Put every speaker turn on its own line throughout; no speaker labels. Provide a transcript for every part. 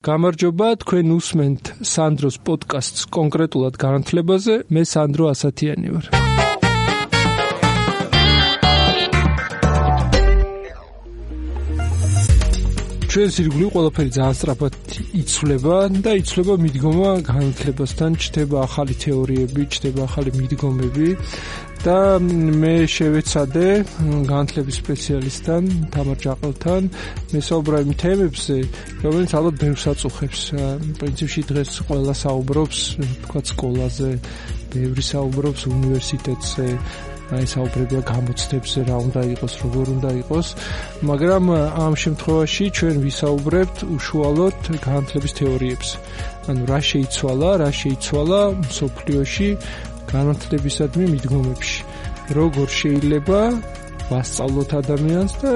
გამარჯობა, თქვენ უსმენთ სანდროს პოდკასტს კონკრეტულად განათლებაზე, მე სანდრო ასათიანი ვარ. ჩვენს ირგვლივ ყველაფერი ძალიან სწრაფად იცვლება და იცვლება მიდგომა განათლებასთან, ჩნდება ახალი თეორიები, ჩნდება ახალი მიდგომები და მე შევეცადე განათლების სპეციალისტთან, თამარ ჯაყელთან მესაუბრა იმ თემებზე, რომელიც ალბათ ბევრს აწუხებს. პრინციპში დღეს ყველა საუბრობს, თქვათ სკოლაზე, ბევრი საუბრობს უნივერსიტეტზე, საუბრებია გამოცდებზე, რა უნდა იყოს, როგორ უნდა იყოს, მაგრამ ამ შემთხვევაში ჩვენ ვისაუბრებთ უშუალოდ განათლების თეორიებზე. ანუ რა შეიცვალა მსოფლიოში განათლებისადმი მიდგომებში. როგორ შეიძლება ვასწავლოთ ადამიანს და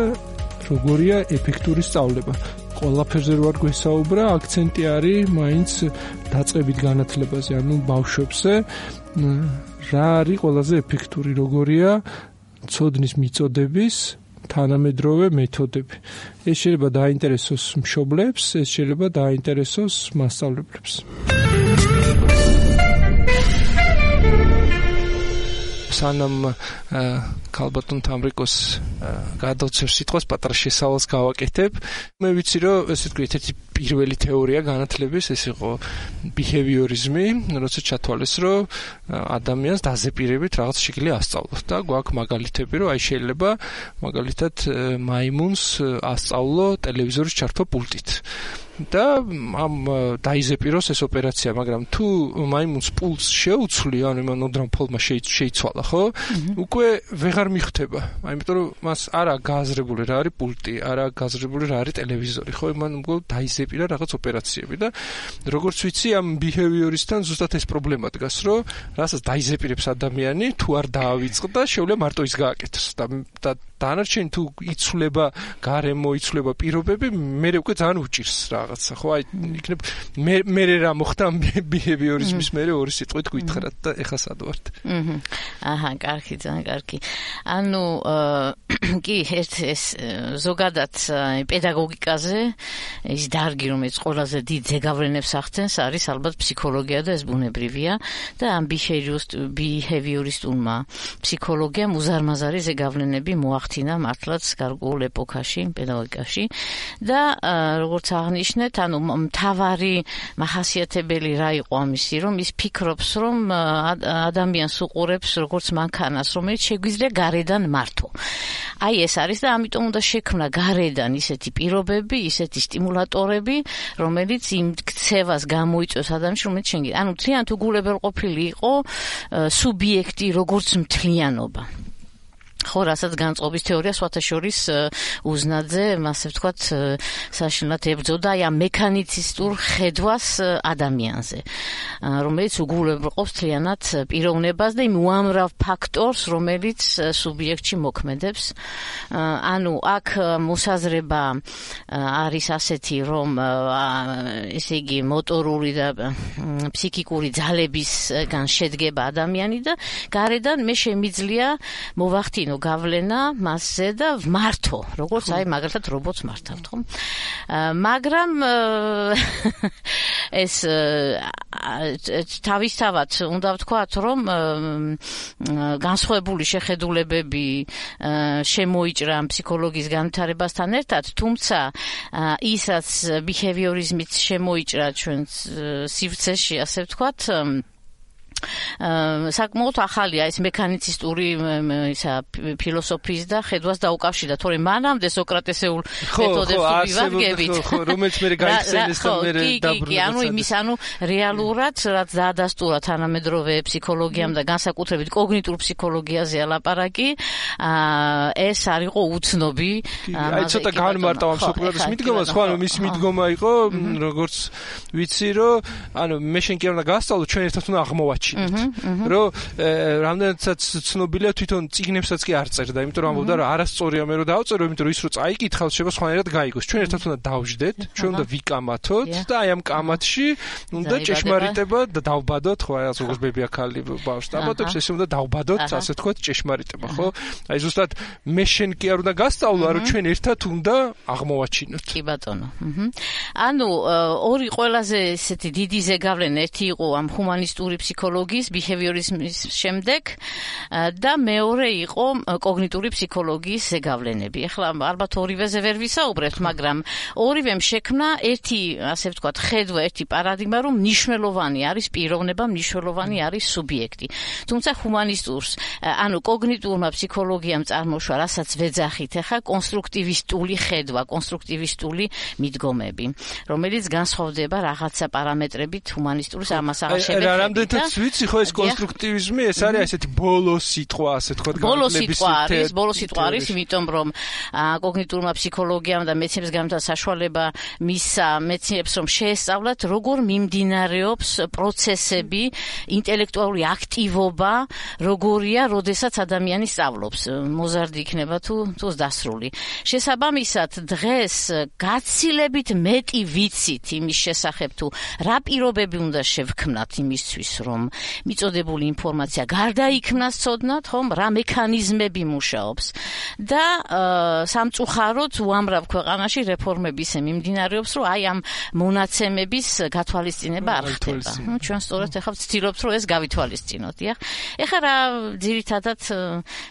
როგორია ეფექტური სწავლება. ყველაფერზე ვარ გვესაუბრა, აქცენტი არის მაინც დაწყებით განათლებაზე, ანუ ბავშვებზე. რა არის ყველაზე ეფექტური, როგორია ცოდნის მიწოდების თანამედროვე მეთოდები. ეს შეიძლება დაინტერესოს მშობლებს, ეს შეიძლება დაინტერესოს მასწავლებლებს. სანამ ქალბატონ თამრიკოს გადავცემ სიტყვას, პატარა შესავალს გავაკეთებ. მე ვიცი, რომ ესე ვთქვი, ერთ-ერთი პირველი თეორია განათლების ეს იყო ბიჰევიორიზმი, როცა ჩათვალეს, რომ ადამიანს დაზეპირებით რაღაც შეგვიძლია ასწავლოს და გვაქვს მაგალითები, რომ აი შეიძლება მაგალითად მაიმუნს ასწავლო ტელევიზორის ჩართვა პულტით. და ამ დაიზეპიროს ეს ოპერაცია, მაგრამ თუ მაიმუნს პულს შეუცვლი, ანუ იმან ოდრამ ფოლმა შეიცვალა, ხო? უკვე ვეღარ მიხვდება. იმიტომ რომ მას არა გააზრებული რა არის პულტი, არა გააზრებული რა არის ტელევიზორი, ხო? იმან უკვე დაიზეპირა რაღაც ოპერაციები და როგორც ვიცი, ამ ბიჰევიორისთან ზუსტად ეს პრობლემა დგას, რომ რასაც დაიზეპირებს ადამიანი, თუ არ დაავიწყდა, შეუძლია მარტო ის გააკეთოს და დანარჩენი თუ იცვლება გარემო, იცვლება პირობები, მე უკვე ძალიან უჭირს რაღაცა, ხო? აი იქნებ მე რა მოხდა ბიჰევიორიზმის მე ორი სიტყვით გითხრათ და ეხა სად ვართ.
აჰა, კარგი, ძალიან კარგი. ანუ კი, ეს ზოგადად პედაგოგიკაზე ის დარგი, რომელიც ყველაზე დიდ ზეგავლენებს ახდენს, არის ალბათ ფსიქოლოგია და ეს ბუნებრივია და ამ ბიჰევიორისტულმა ფსიქოლოგიამ უზარმაზარი ზეგავლენები მოახდინა მართლაც გარკვეულ ეპოქაში, პედაგოგიკაში და როგორც აღნიშნეთ, ანუ მთავარი მახასიათებელი რა იყო ამისი, რომ ის ფიქრობს, რომ ადამიანს უყურებს როგორც მანქანას, რომელიც შეგვიძლია გარედან მართო. აი ეს არის და ამიტომ უნდა შექმნა გარედან ისეთი პირობები, ისეთი სტიმულატორები, რომელიც იმ ქცევას გამოიწვევს ადამიანში, რომელიც შენ ანუ მთლიანად უგულებელყოფილი იყო სუბიექტი როგორც მთლიანობა. ხო, რასაც განწყობის თეორია სხვათაშორის უზნაძე, ასე ვთქვათ, საშინლად ებრძოდა აი ამ მექანიცისტურ ხედვას ადამიანზე, რომელიც უგულებელყოფს მთლიანად პიროვნებას და იმ უამრავ ფაქტორს, რომელიც სუბიექტში მოქმედებს. ანუ აქ მოსაზრება არის ასეთი, რომ ესე იგი მოტორული და ფსიქიკური ძალებისგან შედგება ადამიანი და გარედან მე შემიძლია მოვახდინო გავლენა მასზე და ვმართო, როგორც აი მაგალითად რობოტს მართავთ, ხო? მაგრამ ეს თავისთავად უნდა ვთქვათ, რომ განსხვავებული შეხედულებები შემოიჭრა ფსიქოლოგიის განვითარებასთან ერთად, თუმცა ისაც ბიჰევიორიზმით შემოიჭრა ჩვენ სივრცეში, ასე ვთქვათ, საკმაოდ ახალია ეს მექანიცისტური ფილოსოფიის და ხედვას დაუკავშირდა, თორემ მანამდე სოკრატესეულ მეთოდებს ვივადგებით,
რომელიც მე გაიხსენეს და მე
დაბრუნდა. ანუ იმის, ანუ რეალურად რაც დაადასტურა თანამედროვე ფსიქოლოგიამ და განსაკუთრებით კოგნიტურ ფსიქოლოგიაზე ლაპარაკი, ეს არ იყო უცნობი.
აი ცოტა განმარტავ ამ სოკრატეს მიდგომას, ხო, ანუ მისი მიდგომა იყო, როგორც ვიცი, რომ ანუ მე შენ კი არ უნდა გასწავლო, ჩვენ ერთად უნდა აღმოვაჩინოთ. აღმოვაჩინეთ. რომ რამდენადაც ცნობილია თვითონ წიგნებსაც კი არ წერდა, იმიტომ რომ ამბობდა რომ არასწორია მე რომ დავწერო, იმიტომ რომ ის რო წაიკითხავს შეიძლება სხვანაირად გაიგოს. ჩვენ ერთად უნდა დავждეთ, ჩვენ უნდა ვიკამათოთ და აი ამ კამათში უნდა ჭეშმარიტება და დავბადოთ, ხო, აი როგორც ბებია-ქალი ბავშვს დაბადებს, ესე უნდა დავბადოთ, ასე თქვათ, ჭეშმარიტება, ხო? აი ზუსტად მე შენ კი არ უნდა გასწავლო, რომ ჩვენ ერთად უნდა აღმოვაჩინოთ.
კი ბატონო. ანუ ორი ყველაზე ესეთი დიდი ზეგავლენა, ერთი იყო ამ ჰუმანისტური ფსიქოლოგიის, ბიჰევიორიზმის შემდეგ და მეორე იყო კოგნიტური ფსიქოლოგიის ზეგავლენები. ეხლა ალბათ ორივეზე ვერ ვისაუბრებთ, მაგრამ ორივემ შექმნა ერთი, ასე ვთქვათ, ხედვა, ერთი პარადიგმა, რომ მნიშვნელოვანი არის პიროვნება, მნიშვნელოვანი არის სუბიექტი. თუმცა ჰუმანისტურს, ანუ კოგნიტურმა ფსიქოლოგიამ წარმოშვა, რასაც ვეძახით ახლა, კონსტრუქტივისტული ხედვა, კონსტრუქტივისტული მიდგომები, რომელიც განსხვავდება რაღაცა პარამეტრებით ჰუმანისტურს ამას აღარ შევეცდებით.
რამდენადაც ვიცი, ხო ეს კონსტრუქტივიზმი, ეს არის ესეთი ბოლო სიტყვა, ასე თქვათ, განხილების
ბოლო სიტყვა არის, იმიტომ რომ კოგნიტურმა ფსიქოლოგიამ და მეცნიერებს განვითარდა საშუალება მისცა მეცნიერებს, რომ შეესწავლათ, როგორ მიმდინარეობს პროცესები, ინტელექტუალური აქტივობა, როგორია, როდესაც ადამიანი სწავლობს. მოზარდი იქნება თუ დასრული. შესაბამისად, დღეს გაცილებით მეტი ვიცით იმის შესახებ, თუ რა პირობები უნდა შევქმნათ იმისთვის, რომ მიწოდებული ინფორმაცია გარდაიქმნას ცოდნად, ხომ, რა მექანიზმები მუშაობს და სამწუხაროდ უამრავ ქვეყანაში რეფორმები ისე მიმდინარეობს, რომ აი ამ მონაცემების გათვალისწინება არ ხდება. ჩვენ სწორედ ახლა ვცდილობთ, რომ ეს გავითვალისწინოთ, დიახ. ეხლა რა ძირითადად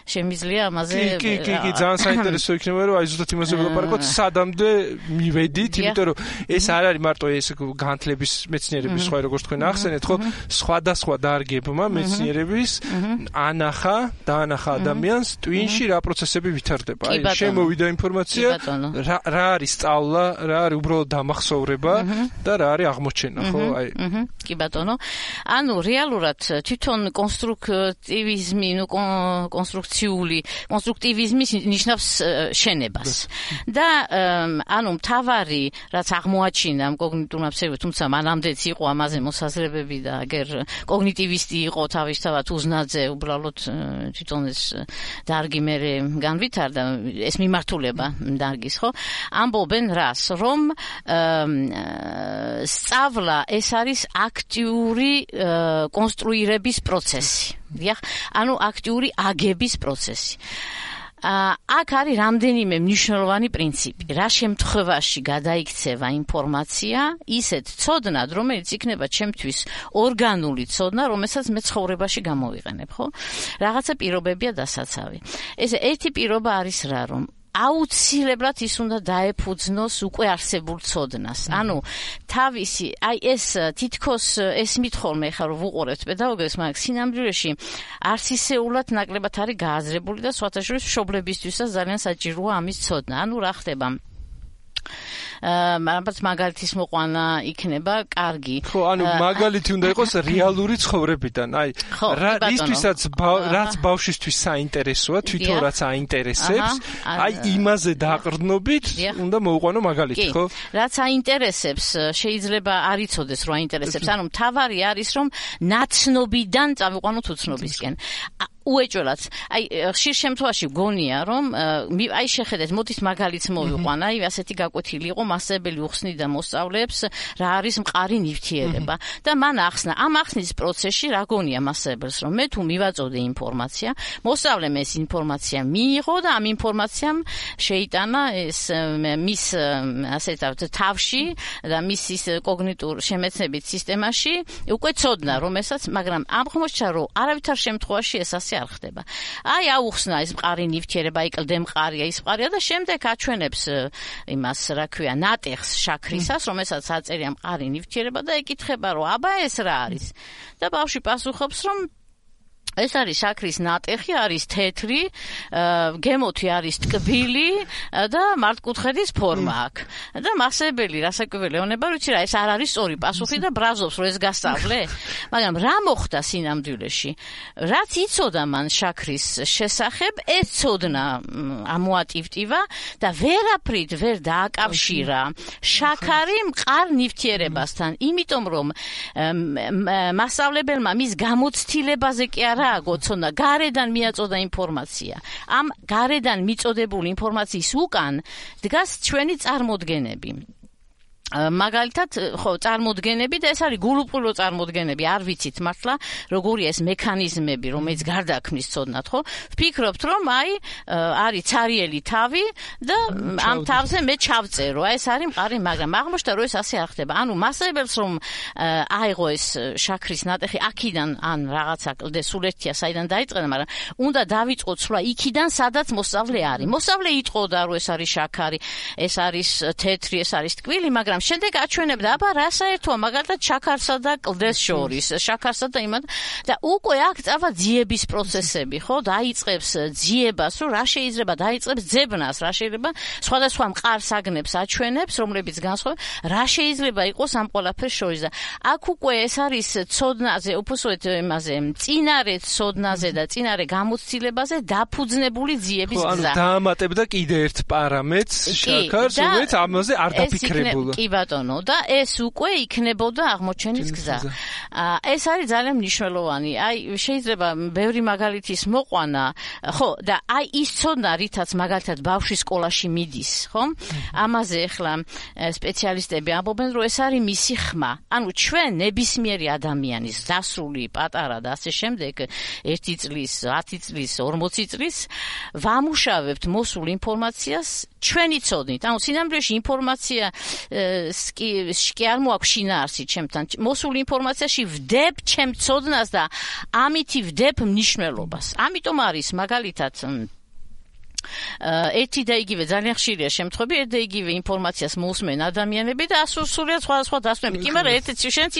შემიძლია ამაზე
კი, ძალიან საინტერესო იქნება, რომ აი ზუსტად იმაზე ვილაპარაკოთ, სადამდე მივედით, იმიტომ რომ ეს არ არის მარტო ეს განათლების მეცნიერების სხვა, როგორც თქვენ ახსენეთ, ხო, სხვადასხვა დარგებმა მეცნიერების დაანახა ადამიანს ტვინში რა პროცესები ვითარდება. აი შემოვიდა ინფორმაცია, რა არის სწავლა, რა არის უბრალოდ დამახსოვრება და რა არის აღმოჩენა, ხო? აი.
კი ბატონო. ანუ რეალურად თვითონ კონსტრუქტივიზმი, კონსტრუქტივიზმი ნიშნავს შენებას. და ანუ მთავარი, რაც აღმოაჩინა ამ კოგნიტურმა ფსიქოლოგიამ, თუმცა მანამდეც იყო ამაზე მოსაზრებები და აგერ კოგნიტივისტი იყო თავისთავად უზნაძე, უბრალოდ თვითონ ეს დარგი მე განვითარდა, ეს მიმართულება დარგის, ხო? ამბობენ რას, რომ სწავლა ეს არის აქტიური კონსტრუირების პროცესი. დიახ, ანუ აქტიური აგების პროცესი. აქ არის რამდენიმე მნიშვნელოვანი პრინციპი. რა შემთხვევაში გადაიქცევა ინფორმაცია ისეთ ცოდნად, რომელიც იქნება ჩემთვის ორგანული ცოდნა, რომელსაც მე ცხოვრებაში გამოვიყენებ, ხო? რაღაცა პირობებია დასაცავი. ესე ერთი პირობა არის რა, რომ აუცილებლად ის უნდა დაეფუძნოს უკვე არსებულ ცოდნას. ანუ თავისი, აი ეს თითქოს ეს მითხოლმე ხარ რომ ვუყურებთ პედაგოგებს, მაგრამ სინამდვილეში არსისეულად ნაკლებად არის გააზრებული და სხვათა შორის მშობლებისთვისაც ძალიან საჭიროა ამის ცოდნა. ანუ რა ხდება? მაგალითის მოყვანა იქნება კარგი.
ხო, ანუ მაგალითი უნდა იყოს რეალური ცხოვრებიდან. აი, რისთვისაც რაც ბავშვისთვის საინტერესოა, თვითონ რაც აინტერესებს, აი იმაზე დაყრდნობით უნდა მოუყვანო მაგალითი, ხო?
რაც აინტერესებს, შეიძლება არ იცოდეს, რომ აინტერესებს. ანუ მთავარი არის, რომ ნაცნობიდან წავიყვანოთ უცნობისკენ. უეჭველად. აი, ხშირ შემთხვევაში გონია, რომ აი შეხედეთ, მოდით მაგალითს მოვიყვან, აი ასეთი გაკვეთილი იყო, მასწავლებელი უხსნიდა მოსწავლეებს, რა არის მყარი ნივთიერება და მან ახსნა. ამ ახსნის პროცესში რა გონია მასწავლებელს, რომ მე თუ მივაწოდე ინფორმაცია, მოსწავლემ ეს ინფორმაცია მიიღო და ამ ინფორმაციამ შეიტანა ეს მის ასე თავში და მის ის კოგნიტურ შემეცნებით სისტემაში უკვე ცოდნა, რომელსაც, მაგრამ აღმოჩნდა, რომ არავითარ შემთხვევაში ეს ასე არ ხდება. აი აუხსნა ეს მყარი ნივთიერება, აი კლდე მყარია, ის მყარია და შემდეგ აჩვენებს იმას, რა ქვია, ნატეხს შაქრისას, რომელსაც აწერია მყარი ნივთიერება და ეკითხება, რომ აბა ეს რა არის? და ბავშვი პასუხობს, რომ ეს არის შაქრის ნატეხი, არის თეთრი, გემოთი არის ტკბილი და მართკუთხედის ფორმა აქვს. და მასწავლებელი რასაკვირველია ეუბნება, ვიცი რა, ეს არ არის სწორი პასუხი და ბრაზობს, რომ ეს გასწავლე. მაგრამ რა მოხდა სინამდვილეში? რაც იცოდა მან შაქრის შესახებ, ეს ცოდნა ამოატივტივა და ვერაფრით ვერ დააკავშირა შაქარი მყარ ნივთიერებასთან, იმიტომ რომ მასწავლებელმა მის გამოცდილებაზე კი არა აგოცნა, გარედან მიაწოდა ინფორმაცია. ამ გარედან მიწოდებული ინფორმაციის უკან დგას ჩვენი წარმოდგენები. მაგალითად, ხო, წარმოდგენები და ეს არის გულუყვილო წარმოდგენები, არ ვიცით მართლა, როგორია ეს მექანიზმები, რომელიც გარდაქმნის ცოდნად, ხო? ვფიქრობთ, რომ არის ცარიელი თავი და ამ თავზე მე ჩავწერო. ეს არის მყარი, მაგრამ აღმოჩნდა, რომ ეს ასე არ ხდება. ანუ მასწავლებელს რომ აიღო ეს შაქრის ნატეხი აქიდან ან რაღაცა კლდე სულ ერთია საიდან დაიწყება, მაგრამ უნდა დავიწყო ცვლა იქიდან, სადაც მოსწავლე არის. მოსწავლე იტყოდა, რომ ეს არის შაქარი, ეს არის თეთრი, ეს არის ტკბილი, მაგრამ შემდეგ აჩვენებდა, აბა რა საერთოა მაგალითად შაქარსა და კლდეს შორის, შაქარსა და იმად და უკვე აქ წავა ძიების პროცესები, ხო? დაიწყებს ძიებას, რომ რა შეიძლება დაიწყებს ძებნას, რა შეიძლება სხვადასხვა მყარ საგნებს აჩვენებს, რომლებიც განსხვავდება, რა შეიძლება იყოს ამ ყველაფერს შორის და აქ უკვე ეს არის ცოდნაზე, უბრალოდ იმაზე, წინარე ცოდნაზე და წინარე გამოცდილებაზე დაფუძნებული ძიების გზა.
ანუ დაამატებდა კიდე ერთ პარამეტრს შაქარს, რომელიც ამაზე არ დაფიქრებულა.
კი ბატონო, და ეს უკვე იქნებოდა აღმოჩენის გზა. ეს არის ძალიან მნიშვნელოვანი. შეიძლება ბევრი მაგალითის მოყვანა, ხო, და ის ცოდნა, რითაც მაგალითად ბავშვი სკოლაში მიდის, ხო? ამაზე ახლა სპეციალისტები ამბობენ, რომ ეს არის მისი ხმა. ანუ ჩვენ ნებისმიერი ადამიანის დასრული პატარა და ასე შემდეგ 1 წლის, 10 წლის, 40 წლის ვამუშავებთ მოსულ ინფორმაციას ჩვენი ცოდნით. ანუ სინამდვილეში ინფორმაცია კი არ მოაქვს შინაარსი ჩემთან. მოსულ ინფორმაციაში ვდებ ჩემ ცოდნას და ამითი ვდებ მნიშვნელობას. ამიტომ არის მაგალითად ერთი და იგივე ძალიან ხშირია შემთხვევები, ერთ და იგივე ინფორმაციას მოусმენ ადამიანები და სრულიად სხვადასხვა დასვენები. კი, მაგრამ შენც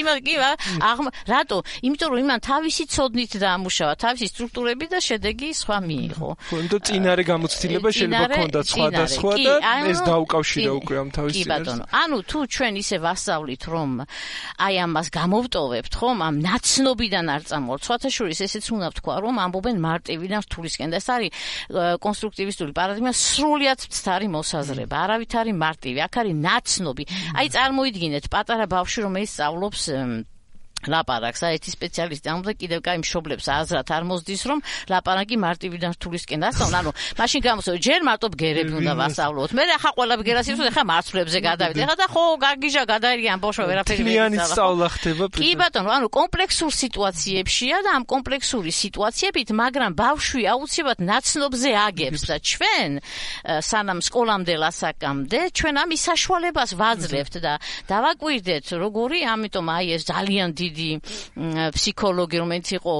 რატო? იმიტომ რომ იმან თავისი ცოდნით დაამუშავა, თავისი სტრუქტურები და შედეგი სხვა მიიღო.
ხო, წინარე გამოცდილება შეიძლება ქონდათ სხვადასხვა და ეს დაუკავშირა უკვე ამ თავის
კი ბატონო. ანუ თუ ჩვენ ისე ვასწავლით, რომ ამას გამოვტოვებთ, ხომ, ამ ნაცნობიდან არ წამოვართ. სხვათა შორის ესეც უნდა ვთქვა, რომ ამბობენ მარტივიდან რთულისკენ და ეს არის კონსტრუქტივისტური პარადიგმა სრულიად მცდარი მოსაზრება. არავით არის მარტივი, აქ არის ნაცნობი. წარმოიდგინეთ პატარა ბავშვი, რომელიც სწავლობს ლაპარაკს, ერთი სპეციალისტი ამბობდა კიდევ კაი მშობლებს აზრად არ მოსდის, რომ ლაპარაკი მარტივიდან რთულისკენ დასწავლა. ანუ მაშინ გამოსწორე, ჯერ მარტო ბგერები უნდა ვასწავლოთ. მე ახლა ყველა ბგერას იცოდე, ახლა მარცვლებზე გადავიდე. ახლა და ხო გაგიჟა გადაირიან ბავშვი ვერაფერი ვერ
იცავ. სწავლა ხდება.
კი ბატონო, ანუ კომპლექსურ სიტუაციებშია და ამ კომპლექსური სიტუაციებით, მაგრამ ბავშვი აუცილებლად ნაცნობზე აგებს და ჩვენ სანამ სკოლამდე ლასაკამდე, ჩვენ ამის საშუალებას ვაძლევთ და დავაკვირდეთ, როგორი, ამიტომ ეს ძალიან დიდი ფსიქოლოგი, რომელიც იყო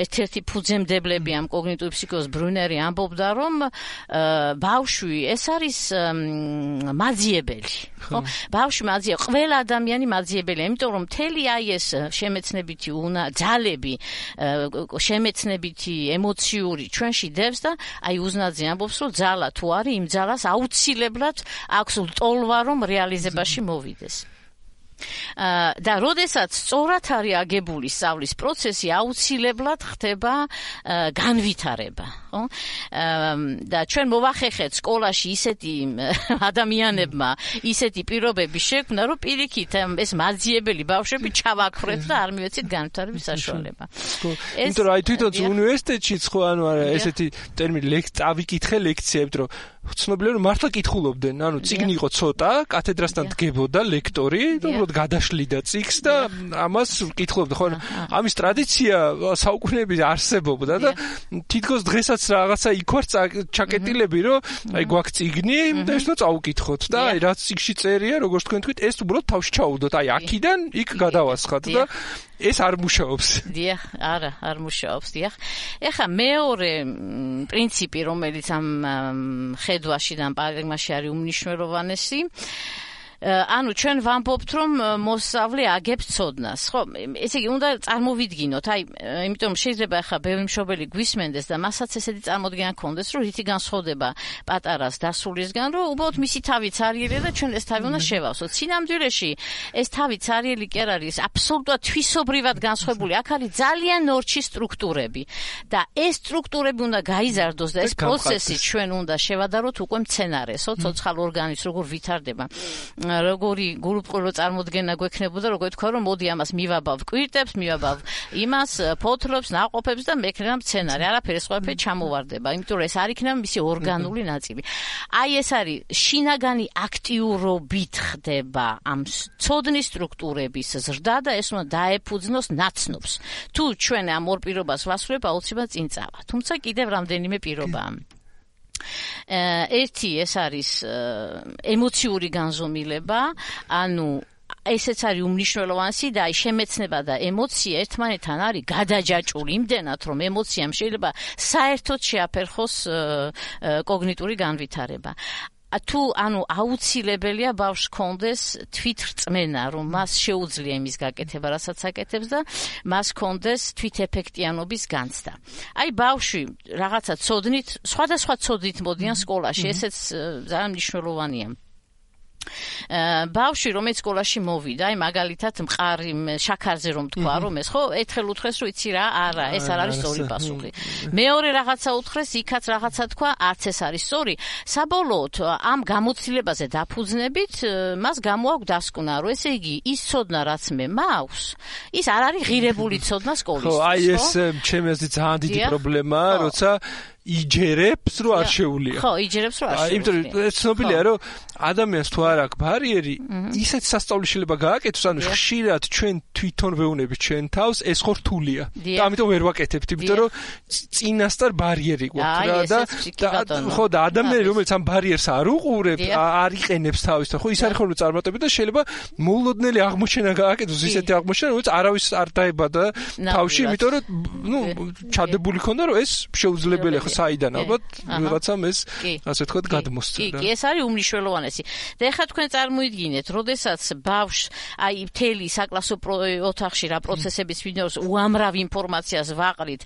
ერთ-ერთი ფუძემდებლები ამ კოგნიტიური ფსიქოლოგიის ბრუნერი, ამბობდა, რომ ბავშვი ეს არის მაძიებელი. ხო? ბავშვი მაძიებელი, ყველა ადამიანი მაძიებელია, იმიტომ რომ მთელი ეს შემეცნებითი ძალები, შემეცნებითი ემოციური ჩვენში დევს და უზნაძე ამბობს, რომ ძალა თუ არის, იმ ძალას აუცილებლად აქვს ლტოლვა, რომ რეალიზებაში მოვიდეს. და როდესაც სწორად არის აგებული სწავლის პროცესი, აუცილებლად ხდება განვითარება, ხო? და ჩვენ მოვახერხეთ სკოლაში ისეთი ადამიანებმა ისეთი პირობები შექმნა, რომ პირიქით ეს მაძიებელი ბავშვები ჩავაქრეთ და არ მივეცით განვითარების საშუალება.
იმიტომ რომ თვითონ უნივერსიტეტშიც ხო ანუ არა ესეთი ტერმინი წავიკითხე ლექციებს, რომ ცნობილია რომ მართლა კითხულობდნენ, ანუ წიგნი იყო ცოტა, კათედრასთან დგებოდა ლექტორი, უბრალოდ გადაშლიდა წიგნს და ამას კითხულობდა. ხო, ამის ტრადიცია საუკუნეების არსებობდა და თითქოს დღესაც რაღაცა იქ ვარ ჩაკეტილები, რომ გვაქვს წიგნი და ეს წავუკითხოთ და რაც წიგნში წერია, როგორც თქვენ თქვით, ეს უბრალოდ თავში ჩაუდოთ, აქიდან იქ გადავასხათ და ეს არ მუშაობს.
დიახ, არა, არ მუშაობს, დიახ. ეხლა მეორე პრინციპი, რომელიც ამ ხედვაში და ამ პარადიგმაში არის უმნიშვნელოვანესი, ანუ ჩვენ ვამბობთ რომ მოსწავლე აგებს ცოდნას, ხო? ესე იგი უნდა წარმოვიდგინოთ, იმიტომ შეიძლება ახლა ბევრი მშობელი გვისმენდეს და მასაც ესეთი წარმოდგენა ქონდეს, რომ რითი განსხვავდება პატარას დასრულისგან, რომ უბრალოდ მისი თავი ცარიელია და ჩვენ ეს თავი უნდა შევავსოთ. სინამდვილეში ეს თავი ცარიელი კი არ არის, აბსოლუტურად თვისობრივად განსხვავებული. აქ არის ძალიან ნორჩი სტრუქტურები და ეს სტრუქტურები უნდა გაიზარდოს და ეს პროცესი ჩვენ უნდა შევადაროთ უკვე მცენარესო, ცოცხალ ორგანიზმს როგორ ვითარდება. როგორი გულუბრყვილო წარმოდგენა გვექნებოდა, როგორ თქვა რომ მოდი ამას მივაბავ კვირტებს, მივაბავ იმას, ფოთლებს, ნაყოფებს და მექნება მცენარე. არაფერი სხვაფერი ჩამოვარდება, იმიტომ რომ ეს არ იქნება მისი ორგანული ნაწილი. აი ეს არის შინაგანი აქტიურობით ხდება ამ ცოდნის სტრუქტურების ზრდა და ეს უნდა დაეფუძნოს ნაცნობს. თუ ჩვენ ამ ორ პირობას ვასრულებ, აუცილებლად წინ წავა. თუმცა კიდევ რამდენიმე პირობაა. ერთი ეს არის ემოციური განზომილება, ანუ ესეც არის უმნიშვნელოვანესი და აი შემეცნება და ემოცია ერთმანეთთან არის გადაჯაჭვული იმდენად რომ ემოციამ შეიძლება საერთოდ შეაფერხოს კოგნიტური განვითარება. თუ ანუ აუცილებელია ბავშვს კონდეს თვითრწმენა, რომ მას შეუძლია იმის გაკეთება, რასაც აკეთებს და მას კონდეს თვითეფექტიანობის განცდა. აი ბავშვი რაღაცა ცოდნით, სხვადასხვა ცოდნით მოდიან სკოლაში, ესეც ძალიან მნიშვნელოვანია. ბავშვი რომელიც სკოლაში მოვიდა, აი მაგალითად მყარი შაქარზე რომ თქვა რომ ეს ხო ერთხელ უთხრეს რომ იცი რა, არა, ეს არ არის სწორი პასუხი. მეორე რაღაცა უთხრეს, იქაც რაღაცა თქვა, არც ეს არის სწორი. საბოლოოდ ამ გამოცდილებაზე დაფუძნებით მას გამოაქვს დასკვნა, რომ ესე იგი ის ცოდნა რაც მე მაქვს, ის არ არის ღირებული ცოდნა სკოლისთვის.
ხო, აი ეს ჩემი აზრით ძალიან დიდი პრობლემაა, როცა იჯერებს რომ არ შეუძლია.
ხო, იჯერებს რომ არ შეუძლია.
იმიტომ რომ ცნობილია რომ ადამიანს თუ არ აქვს ბარიერი, ისეთ სასწაული შეიძლება გააკეთოს, ანუ ხშირად ჩვენ თვითონ ვეუბნებით ჩვენ თავს, ეს ხო რთულია. და ამიტომ ვერ ვაკეთებთ, იმიტომ რომ წინასწარ ბარიერი გვაქვს რა და ხო და ადამიანი რომელიც ამ ბარიერს არ უყურებს, არ იყენებს თავის და ხო ის არის ხოლმე წარმატებული და შეიძლება მოულოდნელი აღმოჩენა გააკეთოს, ისეთი აღმოჩენა, რომელიც არავის არ დაებადა თავში, იმიტომ რომ ჩადებული ქონდა რომ ეს შეუძლებელია. საიდან ალბათ ვიღაცამ ეს ასე ვთქვათ გადმოსცა.
კი, ეს არის უმნიშვნელოვანესი. და ეხლა თქვენ წარმოიდგინეთ, როდესაც ბავშვს აი მთელი საკლასო ოთახში რა პროცესების ვინდოს უამრავ ინფორმაციას ვაყრით,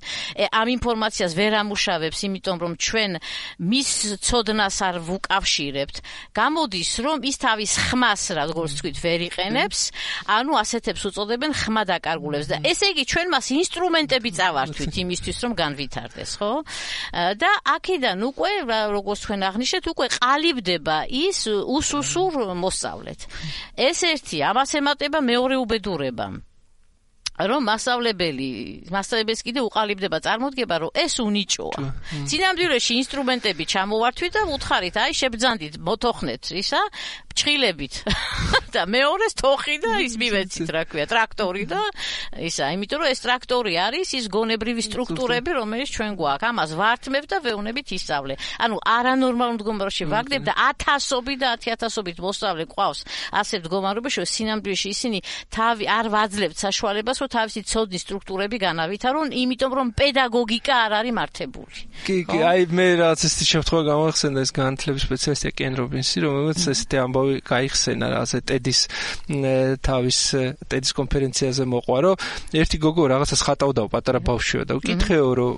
ამ ინფორმაციას ვერ ამუშავებს, იმიტომ რომ ჩვენ მის ცოდნას არ ვუკავშირებთ. გამოდის რომ ის თავის ხმას, როგორც თქვით, ვერ იყენებს, ანუ ასეთებს უწოდებენ ხმადაკარგულებს და ესე იგი ჩვენ მას ინსტრუმენტები წავართვით იმისთვის რომ განვითარდეს, ხო? და აქედან უკვე როგორც თქვენ აღნიშნეთ უკვე ყალიბდება ის უსუსურ მოსწავლეთ. ეს ერთი, ამას ემატება მეორე უბედურება. რომ მასწავლებელს კიდე უყალიბდება წარმოდგება, რომ ეს უნიჭოა. სინამდვილეში ინსტრუმენტები ჩამოვართვით და უთხარით, აი შებძანდით, მოთოხნეთ ისა, ჭხილებით. და მეორეს თოხი და ის მივეცით, რა ქვია, ტრაქტორი და ისა, იმიტომ რომ ეს ტრაქტორი არის ის გონებრივი სტრუქტურები, რომელიც ჩვენ გვაქვს. ამას ვართმევ და ვეუბნებით ისწავლე. ანუ არანორმალურ მდგომარეობაში ვაგდებ და 1000-ობით და 10000-ობით მოსწავლე ყავს ასე მდგომარეობაში, რომ სინამდვილეში ისინი თავი არ ვაძლევთ საშუალებას თავისი ცოდნის სტრუქტურები განავითარონ, იმიტომ რომ პედაგოგიკა არ არის მართებული.
კი, აი მე რაღაც ესეთი შემთხვევა გამახსენდა ეს განათლების სპეციალისტი კენ რობინსი, რომელიც ესეთი ამბავი გაიხსენა რაღაცა ტედის კონფერენციაზე მოყვა, რომ ერთი გოგო რაღაცას ხატავდა პატარა ბავშვია და უკითხეო, რომ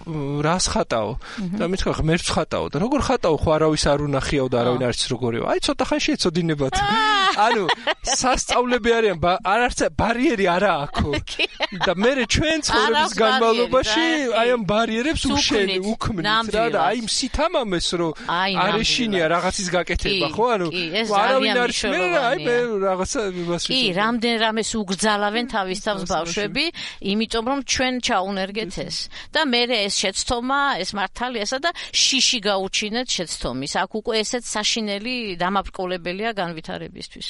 რას ხატაო? და მითხრა ღმერთს ხატაო და როგორ ხატაო, ხო არავის არ უნახიაო და არავინ არ იცის როგორია. აი ცოტა ხანში ეცოდინებათ. ანუ სასწავლები არიან, არც ბარიერი არა აქვს. და მე ჩვენ ცხოვრების განმავლობაში აი ამ ბარიერებს უქმნით რა და აი სითამამეს რომ არ ეშინია რაღაცის გაკეთება, ხო? ანუ არავინ არ შეერა, აი მე რაღაცა იმას
კი, რამდენრამეს უგრძალავენ თავის თავს ბავშვები, იმიტომ რომ ჩვენ ჩაუნერგეთ ეს. და მე ეს შეცდომა, ეს მართალიასა და შიში გაუჩინეთ შეცდომის. აქ უკვე ესეც საშინელი დამაბრკოლებელია განვითარებისთვის.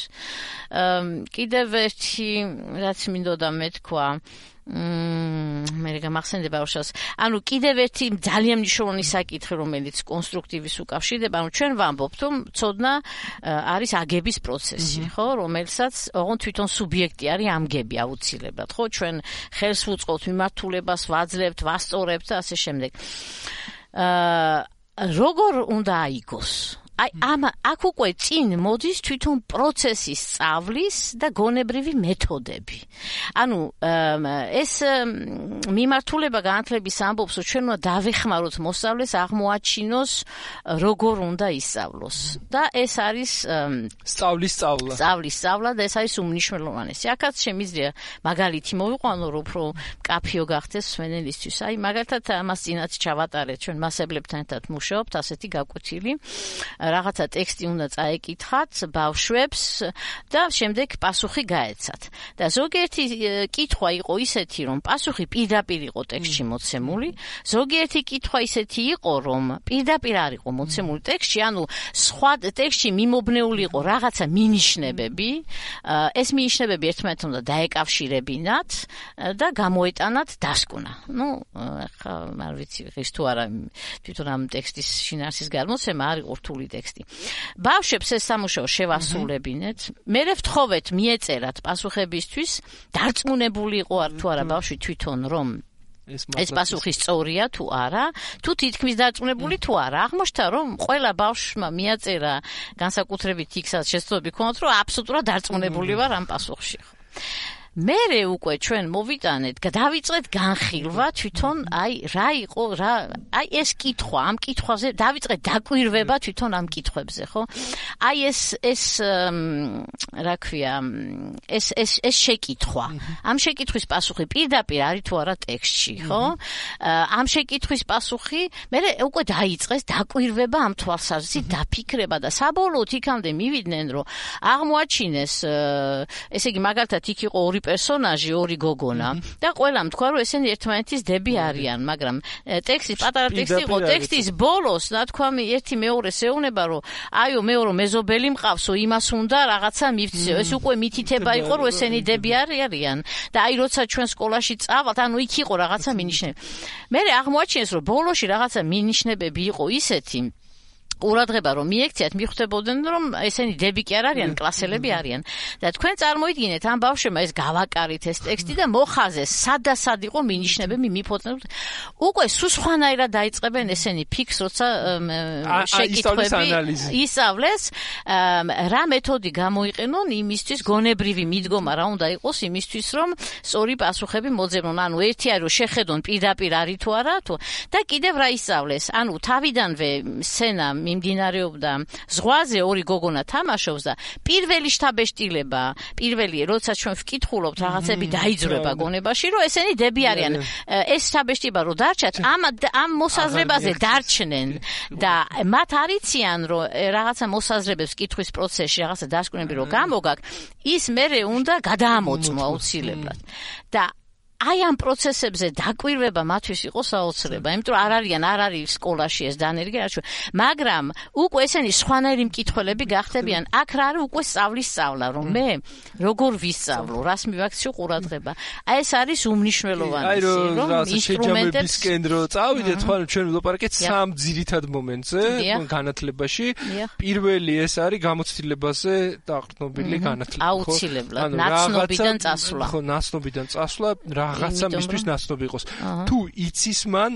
კიდევ ერთი რაც მინდოდა მეთქვა, მე გამახსენდება უშავს. ანუ კიდევ ერთი ძალიან მნიშვნელოვანი საკითხი, რომელიც კონსტრუქტივის უკავშირდება, ანუ ჩვენ ვამბობთ, რომ ცოდნა არის აგების პროცესი, ხო, რომელსაც ოღონდ თვითონ სუბიექტი არის ამგები აუცილებლად, ხო, ჩვენ ხელს ვუწყობთ მიმართულებას, ვაძლევთ, ვასწორებთ და ასე შემდეგ. როგორ უნდა აიგოს აი აქ უკვე წინ მოდის თვითონ პროცესის სწავლის და გონებრივი მეთოდები. ანუ ეს მიმართულება განათლების ამბობს, რომ ჩვენ უნდა დავეხმაროთ მოსწავლეს აღმოაჩინოს როგორ უნდა ისწავლოს. და ეს არის
სწავლის სწავლა
და ეს არის უმნიშვნელოვანესი. აქაც შემიძლია მაგალითი მოვიყვანო, რომ უფრო მკაფიო გახდეს მსმენელისთვის. აი მაგალითად ამას წინაც ჩავატარეთ, ჩვენ მასებლებთან ერთად მუშაობთ, ასეთი გაკვეთილი. რაღაცა ტექსტი უნდა წაეკითხათ ბავშვებს და შემდეგ პასუხი გაეცათ. და ზოგიერთი კითხვა იყო ისეთი, რომ პასუხი პირდაპირ იყო ტექსტში მოცემული, ზოგიერთი კითხვა ისეთი იყო, რომ პირდაპირ არ იყო მოცემული ტექსტში, ანუ სხვა ტექსტში მიმობნეული იყო რაღაცა მინიშნებები, ეს მინიშნებები ერთმანეთთან უნდა დაეკავშირებინათ და გამოეტანათ დასკვნა. ახლა არ ვიცი, ღირს თუ არა თვითონ ამ ტექსტის შინაარსის გამოცემა არ იყო რთული ტექსტი. ბავშვებს ეს სამუშაო შევასრულებინეთ, მერე ვთხოვეთ მიეწერათ პასუხებისთვის, დარწმუნებული იყო თუ არა ბავშვი თვითონ რომ ეს პასუხი სწორია თუ არა, თუ თითქმის დარწმუნებული თუ არა. აღმოჩნდა რომ ყველა ბავშვმა მიაწერა განსაკუთრებით იქსაც შეცდომები ქონდათ, რომ აბსოლუტურად დარწმუნებული ვარ ამ პასუხში. მერე უკვე ჩვენ მოვიტანეთ, დავიწყეთ განხილვა თვითონ რა იყო, აი ეს კითხვა, ამ კითხვაზე დავიწყეთ დაკვირვება თვითონ ამ კითხვებზე, ხო? აი ეს რა ქვია, ეს შეკითხვა. ამ შეკითხვის პასუხი პირდაპირ არის თუ არა ტექსტში, ხო? ამ შეკითხვის პასუხი მერე უკვე დაიწყეს დაკვირვება ამ თვალსაზრისით, დაფიქრება და საბოლოოდ იქამდე მივიდნენ, რომ აღმოაჩინეს, ესე იგი მაგალითად იქ იყო ორი პერსონაჟი, ორი გოგონა და ყველამ თქვა, რომ ესენი ერთმანეთის დები არიან, მაგრამ ტექსტის პატარა ტექსტი იყო, ტექსტის ბოლოს ნათქვამი ერთი მეორეს ეუბნება, რომ აიო მე რომ მეზობელი მყავსო, იმას უნდა რაღაცა მივცეო. ეს უკვე მითითება იყო, რომ ესენი დები არიან და აი როცა ჩვენ სკოლაში წავალთ, ანუ იქ იყო რაღაცა მინიშნები. მერე აღმოაჩინეს, რომ ბოლოში რაღაცა მინიშნებები იყო ისეთი ყურადღება რომ მიექციათ, მიხვდებოდნენ რომ ესენი დები კი არ არიან, კლასელები არიან. და თქვენ წარმოიდგინეთ ამ ბავშვებმა ეს გავაკარით ეს ტექსტი და მოხაზეს, სად იყო მინიშნებები მიფოწნებთ. უკვე სულ სხვანაირად დაიწყებენ ესენი ფიქს, როცა შეკითხვები ისწავლეს, რა მეთოდი გამოიყენონ იმისთვის, გონებრივი მიდგომა რა უნდა იყოს იმისთვის, რომ სწორი პასუხები მოძებნონ. ანუ ერთი არის რომ შეხედონ პირდაპირ არის თუ არა თუ და კიდევ რა ისწავლეს. ანუ თავიდანვე სცენა მიმდინარეობდა ზღვაზე, ორი გოგონა თამაშობს და პირველი შთაბეჭდილება, როცა ჩვენ ვკითხულობთ რაღაცები დაიძრება გონებაში, რომ ესენი დები არიან. ეს შთაბეჭდილება რო დარჩათ, ამ მოსაზრებაზე დარჩნენ და მათ არიციან, რომ რაღაცა მოსაზრებებს კითხვის პროცესში რაღაცა დასკვნები რო გამოგაკ, ის მერე უნდა გადაამოწმო აუცილებლად. და აი ამ პროცესებზე დაკვირვება მათთვის იყო საოცრება, იმიტომ რომ არ არის სკოლაში ეს დანერგი, მაგრამ უკვე ესენი სხვანაირი მკითხველები გახდებიან. აქ რა არის უკვე სწავლა, რომ მე როგორ ვისწავლო, რას მივაქციო ყურადღება. აი ეს არის უმნიშვნელოვანესი, რომ
ინსტრუმენტებისკენ რო წავიდეთ, ხო, ჩვენ ვილაპარაკეთ სამ ძირითად მომენტზე განათლებაში. პირველი ეს არის გამოცდილებაზე დაყრდნობილი განათლება, ხო?
აუცილებლად, ნაცნობიდან წასვლა.
ხო, ნაცნობიდან წასვლა რაღაცა მისთვის ნაცნობი იყოს. თუ იცის მან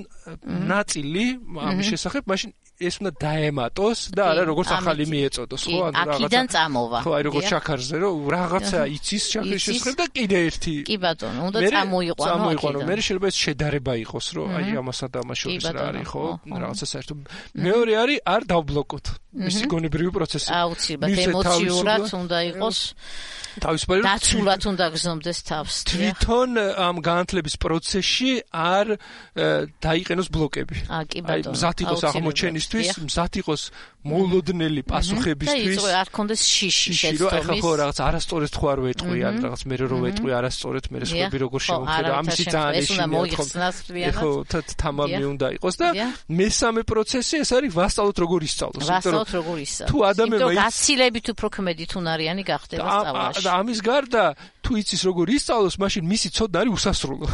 ნაწილი ამის შესახებ, მაშინ ეს უნდა დაემატოს და არა როგორც ახალი მიეწოდოს, ხო?
ანუ რაღაცა აქედან წამოვა.
ხო, აი როგორც შაქარზე, რომ რაღაცა იცის შაქრის შესახებ და კიდე ერთი.
კი ბატონო, უნდა წამოიყვანო.
მე შეიძლება ეს შედარება იყოს, რომ აი ამასა და ამას შორის რა არის, ხო? რაღაცა საერთოდ. მეორე არის არ დავბლოკოთ მისი გონებრივი პროცესი.
აუცილებლად ემოციურად უნდა იყოს.
თავისუფალი
დაცულად უნდა გზნობდეს თავს.
თვითონ ამ განათლების პროცესში არ დაიყენოს ბლოკები.
აი,
მზად იყოს აღმოჩენისთვის, მზად იყოს მოულოდნელი პასუხებისთვის.
და არ კონდეს შიში
შეცდომის. ეხლა ხო რაღაც არასწორად თუ არ ვეტყვი, ან რაღაც მე რო ვეტყვი არასწორად, მე სხვები როგორ შევხედა, ამისი ძალიან
ეშინია.
ეხლა თამამი უნდა იყოს და მესამე პროცესი ეს არის ვასწავლოთ როგორ ისწავლოს. თუ ადამიანმა
გაცილებით უფრო ქმედით უნარიანი გახდება სწავლაში.
და ამის გარდა თუ იცის როგორ ისწავლოს, მაშინ მისი ცოდნა არის უსასრულო.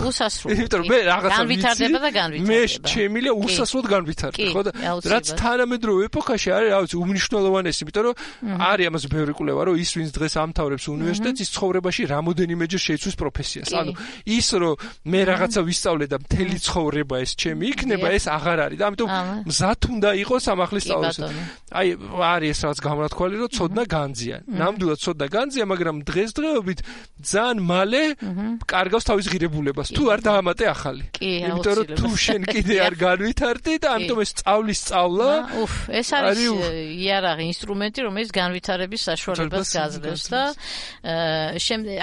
იმიტომ რომ მე რაღაცა
განვითარდება და განვითარდება.
მე შემიძლია უსასრულოდ განვითარდე, ხო და რაც თანამედროვე ეპოქაში არის, რა ვიცი, უმნიშვნელოვანესი, იმიტომ რომ არის ამას ბევრი კვლევა, რომ ის ვინც დღეს ამთავრებს უნივერსიტეტს, ის ცხოვრებაში რამოდენიმეჯერ შეიცვის პროფესიას. ანუ ის რომ მე რაღაცა ვისწავლე და მთელი ცხოვრება ეს ჩემი იქნება, ეს აღარ არის და ამიტომ მზად უნდა იყოს ამ ახლის სწავლას. აი არის ეს რაღაც გამონათქვალი, რომ ცოდნა განძია. ნამდვილად ცოდნა განძია, მაგრამ დღესდღეობით ძალიან მალე კარგავს თავის ღირებულებას. თუ არ დაამატე ახალი. იმიტომ რომ თუ შენ კიდე არ განვითარდი და ამიტომ ეს სწავლის სწავლა,
ეს არის იარაღი, ინსტრუმენტი, რომელიც განვითარების საშუალებას გაძლევს და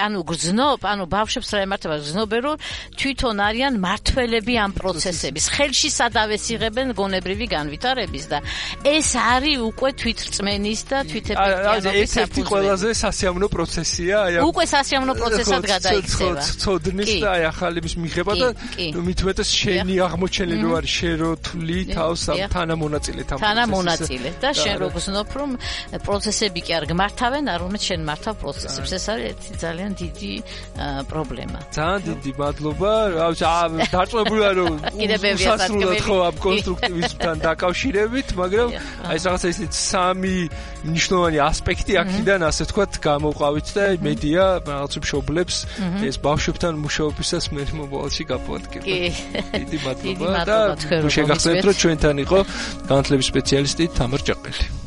ანუ გრძნობ, ანუ ბავშვებს რა ემართება, გრძნობენ რომ თვითონ არიან მართველები ამ პროცესების. ხელში სადავეს იღებენ გონებრივი განვითარების და ეს არის უკვე თვითრწმენის და თვითეფექტიანობის
ერთ-ერთი ყველაზე სასიამოვნო პროცესია, აი
უკვე სასიამოვნო პროცესად გადაიქცევა.
ცოდნის და აი ახალების მიღება და მით უმეტეს შენი აღმოჩენილი არის შენ რო თვლი თავს ამ თანამონაწილედ ამ
თანამონაწილე და შენ რო გზნობ რომ პროცესები კი არ გმართავენ, არამედ შენ მართავ პროცესებს. ეს არის ერთი ძალიან დიდი პრობლემა.
ძალიან დიდი მადლობა. რა ვიცი, დარწმუნებული ვარ რომ უსასრულოდ ხო ამ კონსტრუქტივიზმთან დაკავშირებით, მაგრამ აი რაღაცა ისეთ სამი მნიშვნელოვანი ასპექტი აქედან ასე ვთქვათ გამოყვავით და მედია რაღაც მშობლებს ეს ბავშვებთან მუშაობისას მე მომავალში გაპოვადგება. დიდი მადლობა და შეგახსენებთ რომ ჩვენთან იყო განათლების სპეციალისტი თამარ ჭაყელი.